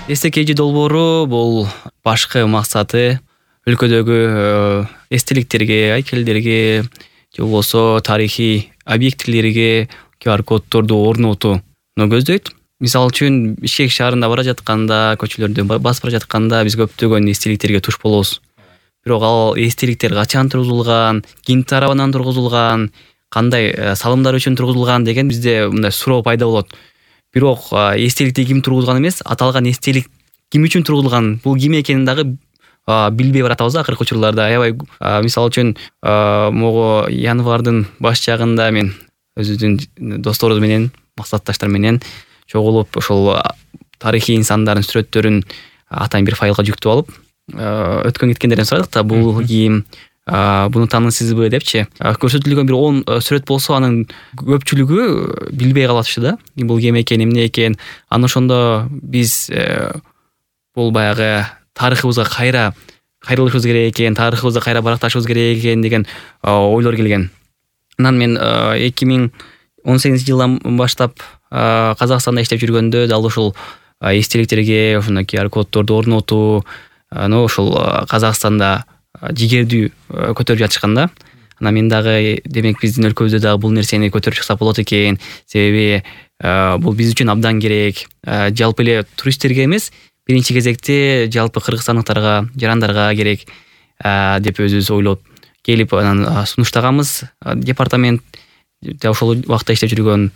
СКЖ долбоору бул башкы максаты өлкөдөгү эстеликтерге, айкелдерге же болбосо тарыхый объектилерге QR коддорду орнотууну көздөйт. Мисалы үчүн Бишкек шаарында бара жатканда, көчөлөрдө басып бара жатканда биз көптөгөн эстеликтерге туш болобуз. Бирок ал эстеликтер качан тургузулган, ким тарабынан тургузулган, кандай салымдар үчүн тургузулган деген бизде мындай суроо пайда болот. Бирок эстеликти ким тургузган эмес, аталган эстелик ким үчүн тургузулган, бул ким экенин дагы билбей баратабыз акыркы учурларда. Аябай мисалы үчүн могу январдын баш жагында мен өзүбүздүн досторубуз менен, максатташтар менен чогулуп ошол тарыхый инсандардын сүрөттөрүн атайын бир файлга жүктөп алып, өткөн кеткендерден сурадык да, бул ким, буну таанысызбы депчи. Көрсөтүлгөн бир 10 сүрөт болсо, анын көпчүлүгү билбей калатышты да. Бул ким экен, эмне экен. Аны ошондо биз бул баягы тарыхыбызга кайрылышыбыз керек экен, тарыхыбызды кайра баракташыбыз керек экен деген ойлор келген. Анан мен 2018-жылдан баштап Казакстанда иштеп жүргөндө дал ушул эстеликтерге ошондой QR коддорду орнотуу, ошол Казакстанда жигердүү көтөрүп жатышканда, анан мен дагы демек биздин өлкөбүздө дагы бул нерсени көтөрүп чыксак болот экен, себеби бул биз үчүн абдан керек. Жалпы эле туристтерге эмес, биринчи кезекте жалпы кыргызстандыктарга, жарандарга керек деп өзүбүз ойлоп келип анан сунуштаганбыз. Департамент ошол убакта иштеп жүргөн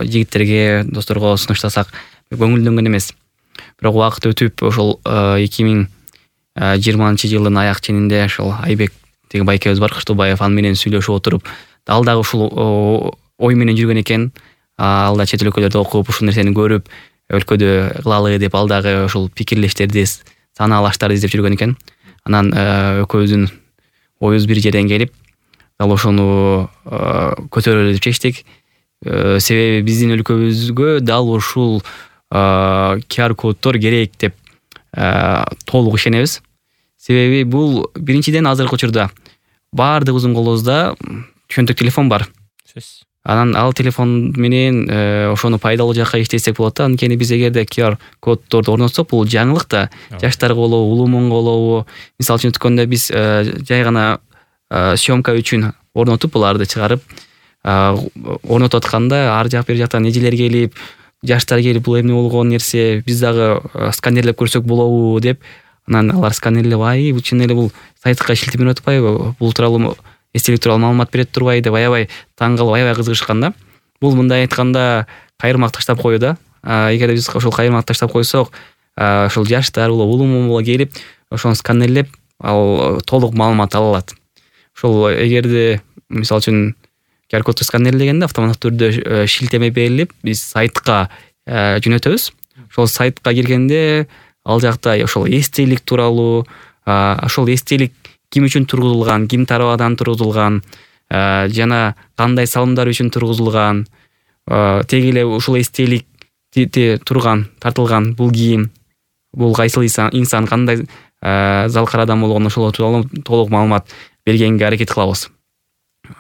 жигиттерге, досторго сунуштасак көңүлдөнгөн эмес. Бирок убакыт өтүп ошол 2020-жылдын аяк ченинде ошол Айбек деген байкебиз бар, Кыштыбаев, аны менен сүйлөшүп отуруп, ал дагы ушул ой менен жүргөн экен. Ал да чет өлкөлөрдө окуп, ушул нерсени көрүп, өлкөдө кылалы деп ал дагы ушул пикирлештерди, санаалаштарды издеп жүргөн экен. Анан экөөбүздүн оюбуз бир жерден келип, дал ошону көтөрөлү деп чечтик. Себеби биздин өлкөбүзгө дал ушул QR коддор керек деп толук ишенебиз. Себеби бул биринчиден азыркы учурда баардыгыбыздын колубузда чөнтөк телефон бар. Анан ал телефон менен ошону пайдалуу жакка иштетсек болот да. Анткени биз эгерде QR коддорду орнотсок, бул жаңылык да. Жаштарга болобу, улуумонго болобу, мисалы үчүн өткөндө биз жай гана съемка үчүн орнотуп, буларды чыгарып орнотуп атканда ар жак бер жактан эжелер келип, жаштар келип, бул эмне болгон нерсе, биз дагы сканерлеп көрсөк болобу деп, анан алар сканерлеп, бул чын эле бул сайтка шилтеме атпайбы, бул тууралуу эстелик тууралуу маалымат берет турбайбы деп аябай таң калып, аябай кызыгышкан да. Бул мындай айтканда кайырмак таштап коюу да. Эгер биз ошол кайырмак таштап койсок, ошол жаштар болобу, улуумон болобу келип, ошону сканерлеп, ал толук маалымат ала алат. Ошол эгерде мисалы үчүн QR кодду сканерлегенде автоматтык түрдө шилтеме берилип, биз сайтка жөнөтөбүз. Ошол сайтка киргенде ал жакта ошол эстелик тууралуу, ошол эстелик ким үчүн тургузулган, ким тарабынан тургузулган, жана кандай салымдар үчүн тургузулган, теги эле ушул эстеликти тартылган бул ким, бул кайсыл инсан, кандай залкар адам болгон, ошол тууралуу толук маалымат бергенге аракет кылабыз.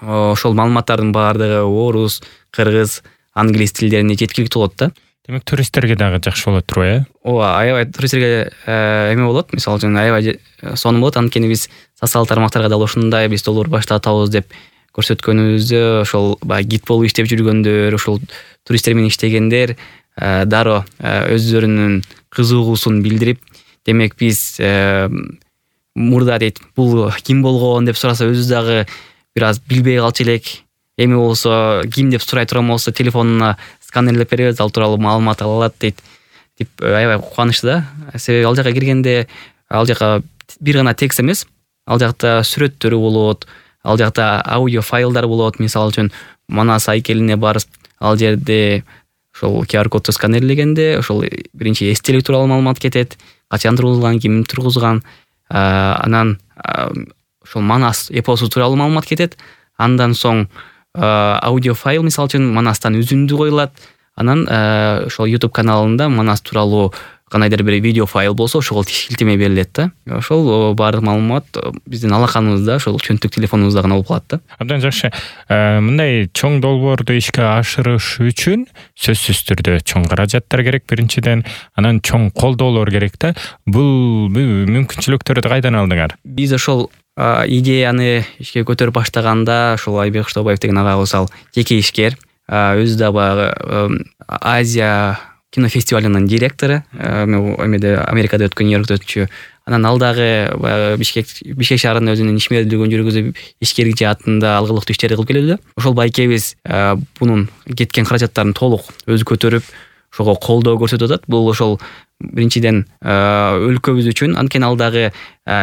Ошол маалыматтардын баардыгы орус, кыргыз, англис тилдерине жеткиликтүү болот да. Демек туристтерге дагы жакшы болот турбайбы? Ооба, аябай туристтерге эме болот. Мисалы үчүн аябай сонун болот. Анткени биз социалдык тармактарга дал ушундай биз долбоор баштатабыз деп көрсөткөнүбүздө, ошол баягы гид болуп иштеп жүргөндөр, ошол туристтер менен иштегендер дароо өздөрүнүн кызыгуусун билдирип, демек биз мурда дейт, бул ким болгон деп сураса, өзүбүз дагы бир аз билбей калчу элек. Эми болсо ким деп сурай турган болсо, телефонуна сканерлеп беребиз, ал тууралуу маалымат ала алат дейт. Деп аябай кубанычты да. Себеби ал жака киргенде, ал жака бир гана текст эмес, ал жакта сүрөттөрү болот, ал жакта аудио файлдар болот. Мисалы үчүн Манас айкелине барып, ал жерде ошол QR кодду сканерлегенде, ошол биринчи эстелик тууралуу маалымат кетет, качан тургузулган, ким тургузган, анан ошол Манас эпосу тууралуу маалымат кетет. Андан соң аудио файл, мисалы үчүн Манастан үзүндү коюлат. Анан ошол YouTube каналында Манас тууралуу кандайдыр бир видео файл болсо ошого шилтеме берилет да. Ошол баардык маалымат биздин алаканыбызда, ошол чөнтүк телефонубузда гана болуп калат да. Абдан жакшы. Мындай чоң долбоорду ишке ашырыш үчүн сөзсүз түрдө чоң каражаттар керек биринчиден, анан чоң колдоолор керек да. Бул мүмкүнчүлүктөрдү кайдан алдыңар? Биз ошол идеяны ишке көтөрүп баштаганда ошол Айбек Кыштообаев деген агабыз ал жеке ишкер, өзү да баягы Азия кинофестивалынын директору, эмеде Америкада өткөн, Нью-Йоркто өтчү. Анан ал дагы Бишкек шаарынын өзүнүн ишмердүүлүгүн жүргүзүп, ишкерлик жаатында алгылыктуу иштерди кылып келүүдө. Ошол байкебиз бунун кеткен каражаттарын толук өзү көтөрүп, ошого колдоо көрсөтүп атат. Бул ошол биринчиден өлкөбүз үчүн, анткени ал дагы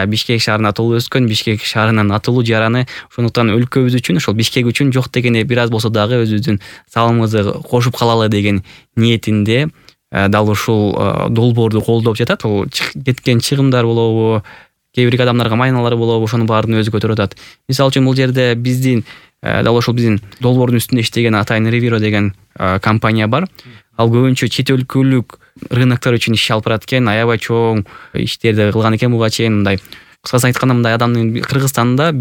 Бишкек шаарында туулуп өскөн, Бишкек шаарынын атылуу жараны, ошондуктан өлкөбүз үчүн, ошол Бишкек үчүн жок дегенде бир аз болсо дагы өзүбүздүн салымыбызды кошуп калалы деген ниетинде дал ушул долбоорду колдоп жатат. Ошол кеткен чыгымдар болобу, кээ бир адамдарга майналар болобу, ошонун баарын өзү көтөрүп атат. Мисалы үчүн бул жерде биздин дал ошол биздин долбоордун үстүндө иштеген Атайын Ревиро деген компания бар. Ал көбүнчө чет өлкөлүк рыноктор үчүн иш алып барат экен, аябай чоң иштерди кылган экен буга чейин. Мындай кыскасы айтканда, мындай адамдын Кыргызстанда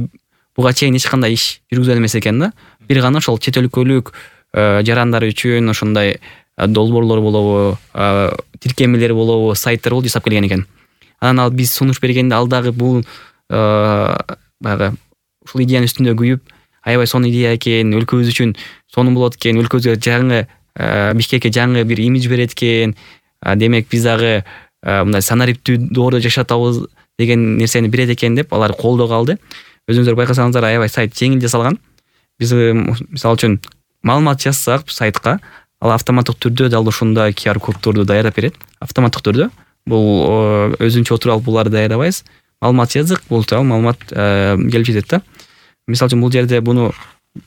буга чейин эч кандай иш жүргүзгөн эмес экен да. Бир гана ошол чет өлкөлүк жарандар үчүн ошондой долбоорлор болобу, тиркемелер болобу, сайттар болуп жасап келген экен. Анан ал биз сунуш бергенде ал дагы бул баягы ушул идеянын үстүндө күйүп, аябай сонун идея экен, өлкөбүз үчүн сонун болот экен, өлкөбүзгө жаңы Бишкекке жаңы бир имидж берет экен. Демек биз дагы мындай санариптүү доордо жашатабыз деген нерсени берет экен деп алар колдоого алды. Өзүңүздөр байкасаңыздар, аябай сайт жеңил жасалган. Биз мисалы үчүн маалымат жазсак сайтка, ал автоматтык түрдө дал ушундай QR коддорду даярдап берет. Автоматтык түрдө. Бул өзүнчө отуруп алып буларды даярдабайбыз. Маалымат жаздык, бул маалымат келип жетет да. Мисалы үчүн бул жерде буну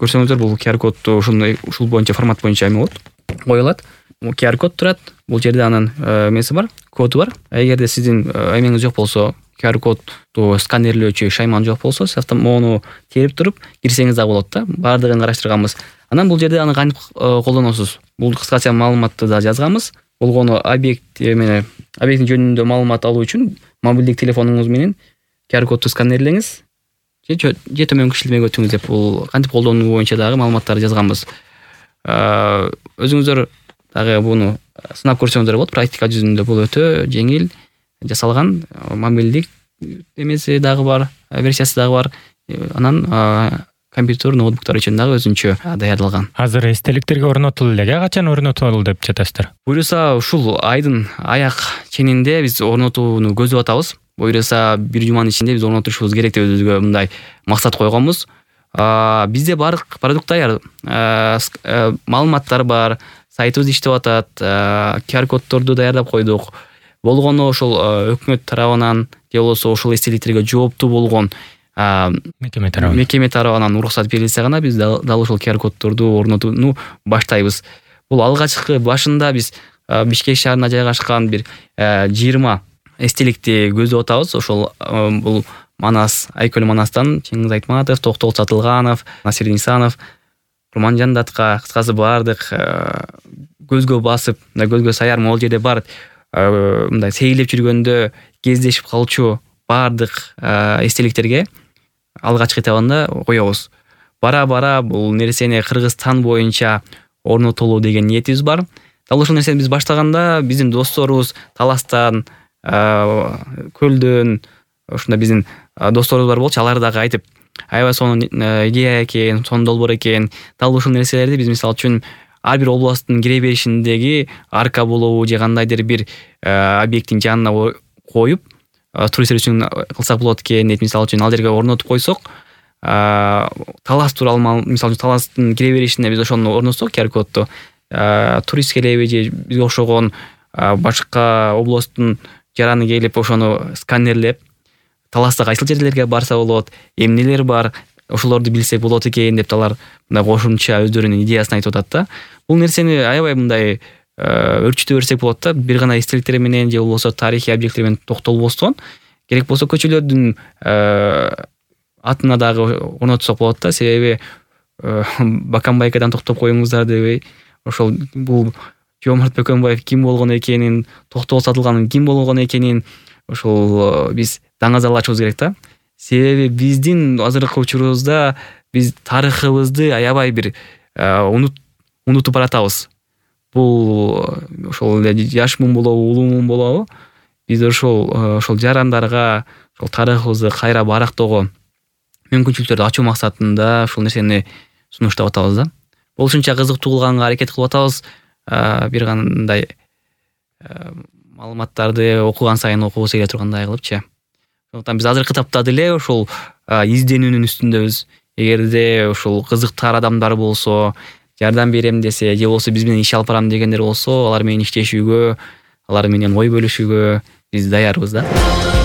көрсөңүздөр, бул QR кодду ушул боюнча, формат боюнча эме болот, коюлат. QR код турат. Бул жерде анын эмеси бар, коду бар. Эгерде сиздин эмеңиз жок болсо, QR кодду сканерлөөчү шайман жок болсо, сиз мону терип туруп кирсеңиз да болот да. Баардыгын караштырганбыз. Анан бул жерде аны кантип колдоносуз? Бул кыскача маалыматты да жазганбыз. Болгону объекттин жөнүндө маалымат алуу үчүн мобилдик телефонуңуз менен QR кодду сканерлеңиз же төмөнкү шилтемеге өтүңүз деп бул кантип колдонуу боюнча дагы маалыматтарды жазганбыз. Өзүңүздөр дагы буну сынап көрсөңүздөр болот. Практика жүзүндө бул өтө жеңил жасалган. Мобилдик эмеси дагы бар, версиясы дагы бар. Анан компьютер, ноутбуктар үчүн дагы өзүнчө даярдалган. Азыр эстеликтерге орнотулду элеге, качан орнотулду деп жатасыздар? Буюрса ушул айдын аяк ченинде биз орнотууну көздөп атабыз. Буюрса бир жуманын ичинде биз орнотушубуз керек деп өзүбүзгө мындай максат койгонбуз. Бизде баардык продукт даяр, маалыматтар бар, сайтыбыз иштеп атат, QR коддорду даярдап койдук. Болгону ошол өкмөт тарабынан же болбосо ошол эстеликтерге жооптуу болгон мекеме тарабынан уруксат берилсе гана биз дал ошол QR коддорду орнотууну баштайбыз. Бул алгачкы башында биз Бишкек шаарында жайгашкан бир 20 эстеликти көздөп атабыз. Ошол бул Манас, Айкөл Манастан Чеңиз Айтматов, Токтол Сатылганов, Насир Нисанов, Курман Жандатка, кыскасы баардык көзгө басып, көзгө саяр могул жерде бар мындай сейилеп жүргөндө кездешип калчу баардык эстеликтерге алгачкы этабында коебуз. Бара бул нерсени Кыргызстан боюнча орнотолуу деген ниетибиз бар. Дал ошол нерсени биз баштаганда биздин досторубуз Таластан, Көлдөн, ушундай биздин досторубуз бар болчу. Алар дагы айтып, аябай сонун идея экен, сонун долбоор экен. Дал ушул нерселерди биз мисалы үчүн ар бир областтын кире беришиндеги арка болобу же кандайдыр бир объекттин жанына коюп, туристтер үчүн кылсак болот экен деп, мисалы үчүн ал жерге орнотуп койсок, Талас тууралуу, мисалы үчүн Таластын кире беришине биз ошону орнотсок QR кодду, турист келеби же бизге окшогон башка областтын жараны келип ошону сканерлеп, Таласта кайсыл жерлерге барса болот, эмнелер бар, ошолорду билсек болот экен деп алар мындай кошумча өздөрүнүн идеясын айтып атат да. Бул нерсени аябай мындай өрчүтө берсек болот да. Бир гана эстеликтер менен же болбосо тарыхый объекттер менен токтолбостон, керек болсо көчөлөрдүн атына дагы орнотсок болот да. Себеби Баканбайкадан токтоп коюңуздар дебей, ошол бул Жоомарт Бөкөнбаев ким болгон экенин, Токтогул Сатылганов ким болгон экенин ошол биз даңазалашыбыз керек да. Себеби биздин азыркы учурубузда биз тарыхыбызды аябай бир унутуп баратабыз. Бул ошол эле жаш мун болобу, улуу мун болобу, биз ошол жарандарга ошол тарыхыбызды кайра барактоого мүмкүнчүлүктөрдү ачуу максатында ушул нерсени сунуштап атабыз да. Болушунча кызыктуу кылганга аракет кылып атабыз. Бир кандай маалыматтарды окуган сайын окугусу келе тургандай кылыпчы. Ошондуктан биз азыркы тапта деле ошол изденүүнүн үстүндөбүз. Эгерде ушул кызыктар адамдар болсо, жардам берем десе, же болбосо биз менен иш алып барам дегендер болсо, алар менен иштешүүгө, алар менен ой бөлүшүүгө биз даярбыз да.